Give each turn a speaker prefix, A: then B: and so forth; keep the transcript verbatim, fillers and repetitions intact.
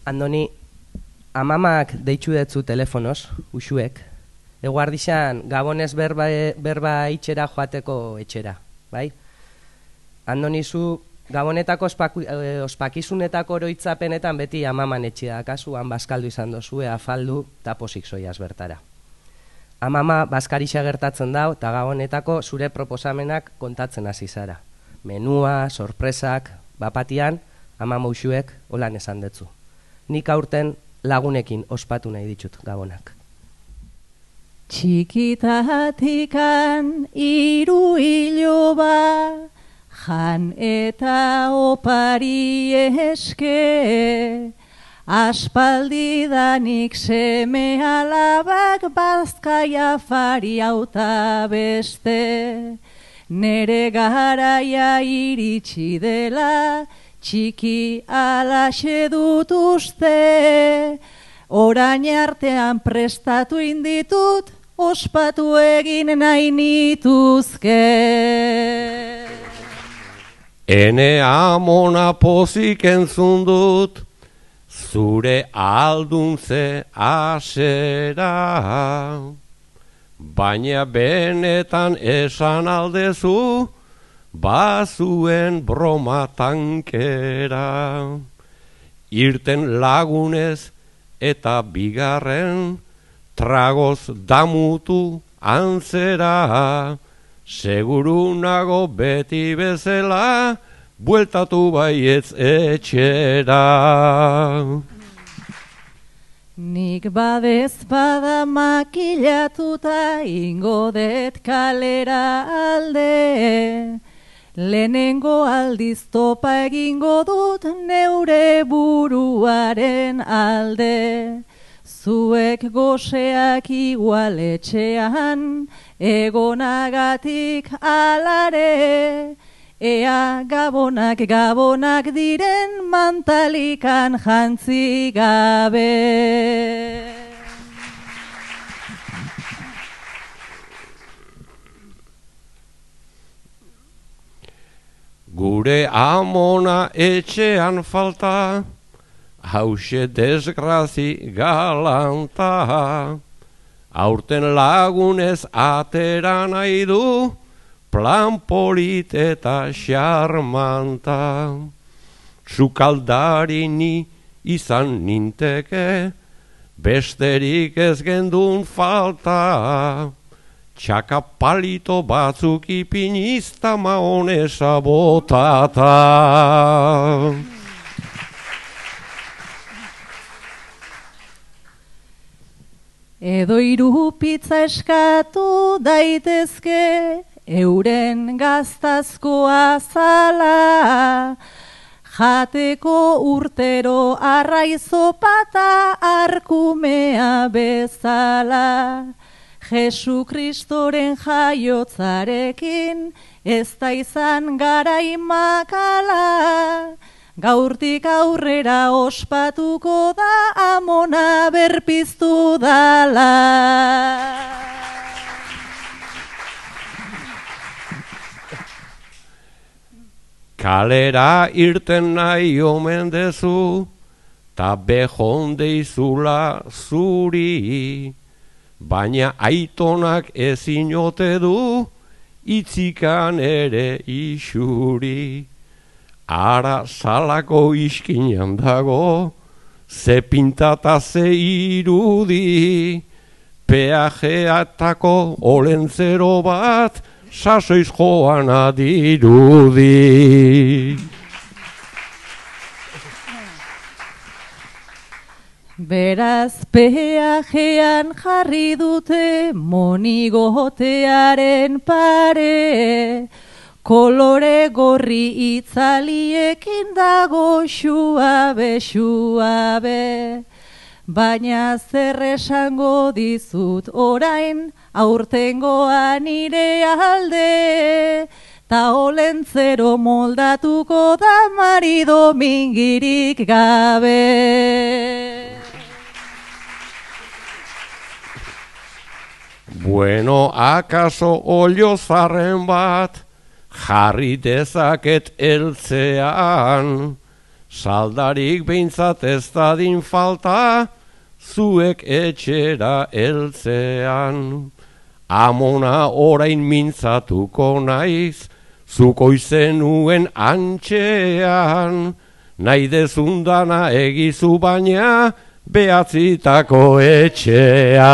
A: Andoni, amamak deitzu detzu telefonoz, usuek, eguardixan gabonez berba, berba itxera joateko etxera, bai? Andoni, zu gabonetako ospaku, eh, ospakizunetako oroitzapenetan beti amaman etxea, kasuan bazkaldu izan dozue, afaldu, eta posik zoiaz bertara. Amama bazkarixa gertatzen dau, eta gabonetako zure proposamenak kontatzen hasi zara. Menua, sorpresak, bapatian, amama usuek holan esan detzu. Nik aurten lagunekin ospatu nahi ditut gabonak.
B: Txikitatikan hiru iloba, jan eta opari eske, aspaldidanik seme alabak bazkaia fari auta beste. Nere garaia iritsi dela, txiki alaxe dut uste, orain artean prestatu inditut, ospatu egin nahi nituzke.
C: Ene amona pozik entzun dut, zure alduntze asera, baina benetan esan aldezu, bazuen broma tankera. Irten lagunez eta bigarren, tragoz damutu antzera, seguru nago beti bezala, bueltatu baietz etxera.
B: Nik badez bada makilatuta ingo det kalera alde, lehenengo aldiz topa egingo dut neure buruaren alde. Zuek goseak igual etxean, egonagatik alare, ea gabonak gabonak diren mantalikan jantzi gabe.
C: Gure amona etxean falta, hause desgrazi galanta, aurten lagunez atera nahi du, plan polit eta xarmanta. Sukaldari ni izan ninteke, besterik ez gendun falta, txakapalito batzuk ipinizta maonesa botata.
B: Edo hiru pizza eskatu daitezke, euren gaztazko azala, jateko urtero arraizopata arkumea bezala. Jesu Kristoren jaiotzarekin ez da izan garai makala, gaurtik aurrera ospatuko da amona berpiztu dala.
C: Kalera irten nahi omen dezu, ta behon deizula zuri, baina aitonak ezin ote du, itzikan ere isuri. Ara salako iskinan dago, ze pintata ze irudi, peajeatako olentzero bat, sasoiz joan adirudi.
B: Beraz peajean jarri dute monigotearen pare, kolore gorri itzaliekin dago xuabe, xuabe. Baina zer esango dizut orain, aurtengoa nire alde, ta olentzero moldatuko da marido mingirik gabe.
C: Bueno, akaso olio zarren bat, jarri dezaket eltzean, saldarik behintzat ez dadin falta, zuek etxera heltzean. Amona orain mintzatuko naiz, zuko izenuen antxean, nahi dezundana egizu baina, behatzitako etxean.